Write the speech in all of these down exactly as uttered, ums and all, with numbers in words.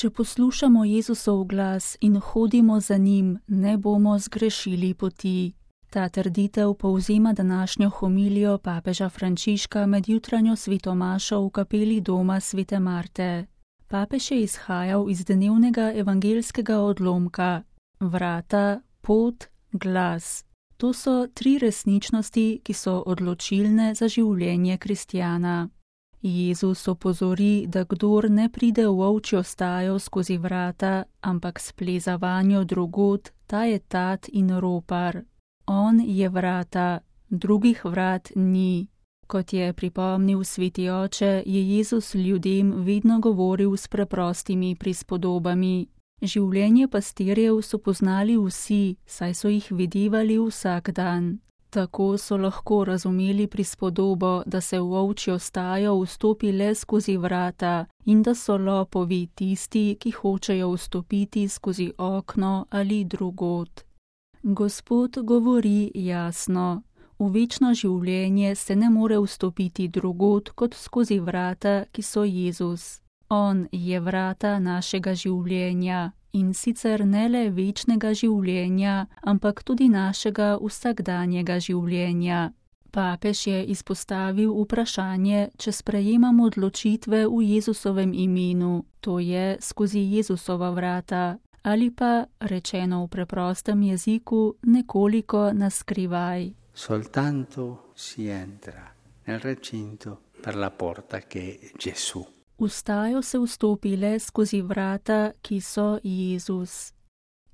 Če poslušamo Jezusov glas in hodimo za njim, ne bomo zgrešili poti. Ta trditev povzema današnjo homilijo papeža Frančiška med jutranjo svetomašo v kapeli doma svete Marte. Papež je izhajal iz dnevnega evangeljskega odlomka: vrata, pot, glas. To so tri resničnosti, ki so odločilne za življenje kristjana. Jezus opozori, da kdor ne pride v ovčjo stajo skozi vrata, ampak spleza vanjo drugod, ta je tat in ropar. On je vrata, drugih vrat ni. Kot je pripomnil sveti oče, je Jezus ljudem vedno govoril s preprostimi prispodobami. Življenje pastirjev so poznali vsi, saj so jih videvali vsak dan. Tako so lahko razumeli prispodobo, da se v ovčjo stajo vstopi le skozi vrata in da so lopovi tisti, ki hočejo vstopiti skozi okno ali drugod. Gospod govori jasno: v večno življenje se ne more vstopiti drugod kot skozi vrata, ki so Jezus. On je vrata našega življenja, in sicer ne le večnega življenja, ampak tudi našega vsakdanjega življenja. Papež je izpostavil vprašanje, če sprejemamo odločitve v Jezusovem imenu, to je skozi Jezusova vrata, ali pa, rečeno v preprostem jeziku, nekoliko naskrivaj. Soltanto si entra nel recinto per la porta che è Gesù. V stajo se vstopi le skozi vrata, ki so Jezus.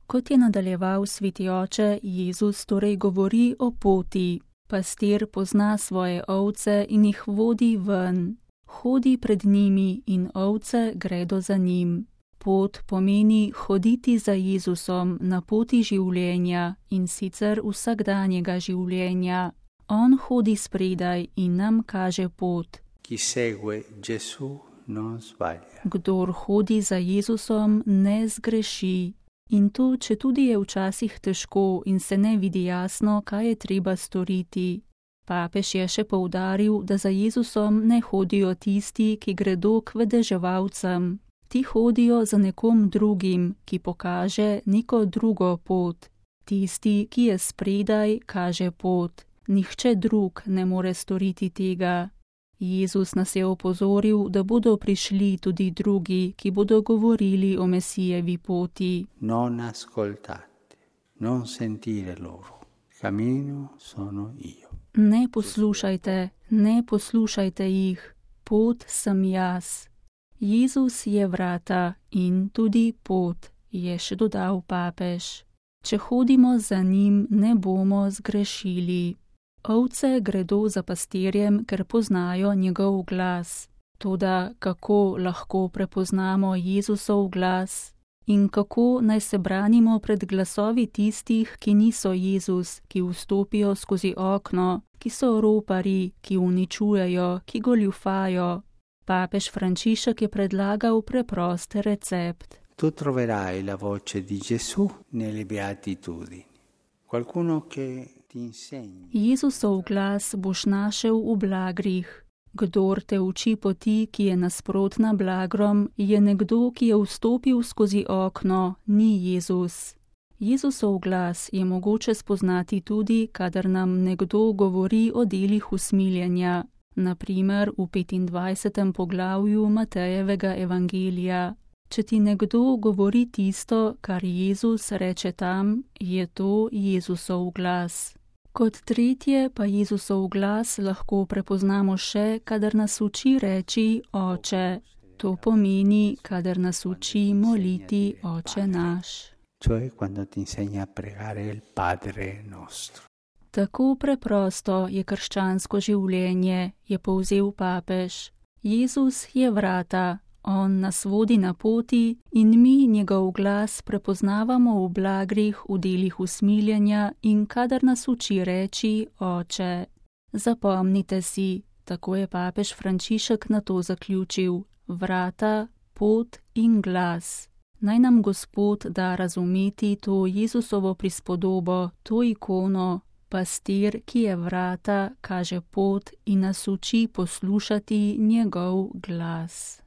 Kot je nadaljeval sveti oče, Jezus torej govori o poti. Pastir pozna svoje ovce in jih vodi ven. Hodi pred njimi in ovce gredo za njim. Pot pomeni hoditi za Jezusom na poti življenja, in sicer vsakdanjega življenja. On hodi spredaj in nam kaže pot. Chi segue Gesù non sbaglia. Kdor hodi za Jezusom, ne zgreši. In to, če tudi je včasih težko in se ne vidi jasno, kaj je treba storiti. Papež je še poudaril, da za Jezusom ne hodijo tisti, ki gredo k vedeževalcem. Ti hodijo za nekom drugim, ki pokaže neko drugo pot. Tisti, ki je spredaj, kaže pot. Nihče drug ne more storiti tega. Jezus nas je opozoril, da bodo prišli tudi drugi, ki bodo govorili o Mesijevi poti. Non ascoltate, non sentire loro. Cammino sono io. Ne poslušajte, ne poslušajte jih. Pot sem jaz. Jezus je vrata in tudi pot, je še dodal papež. Če hodimo za njim, ne bomo zgrešili. Ovce gredo za pastirjem, ker poznajo njegov glas. Toda kako lahko prepoznamo Jezusov glas? In kako naj se branimo pred glasovi tistih, ki niso Jezus, ki vstopijo skozi okno, ki so ropari, ki uničujejo, ki goljufajo? Papež Frančišek je predlagal preprost recept. Tu troverai la voce di Gesù nelle beatitudini. Qualcuno che ti insegni. Jezusov glas boš našel v blagrih. Kdor te uči poti, ki je nasprotna blagrom, je nekdo, ki je vstopil skozi okno, ni Jezus. Jezusov glas je mogoče spoznati tudi, kadar nam nekdo govori o delih usmiljenja, na primer v petindvajsetem poglavju Matejevega evangelija. Če ti nekdo govori tisto, kar Jezus reče tam, je to Jezusov glas. Kot tretje pa Jezusov glas lahko prepoznamo še, kadar nas uči reči Oče. To pomeni, kadar nas uči moliti Oče naš. Cioè quando ti insegna a pregare il Padre nostro. Tako preprosto je krščansko življenje, je povzel papež. Jezus je vrata. On nas vodi na poti in mi njegov glas prepoznavamo v blagrih, v delih usmiljenja in kadar nas uči reči Oče. Zapomnite si, tako je papež Frančišek na to zaključil, vrata, pot in glas. Naj nam Gospod da razumeti to Jezusovo prispodobo, to ikono, pastir, ki je vrata, kaže pot in nas uči poslušati njegov glas.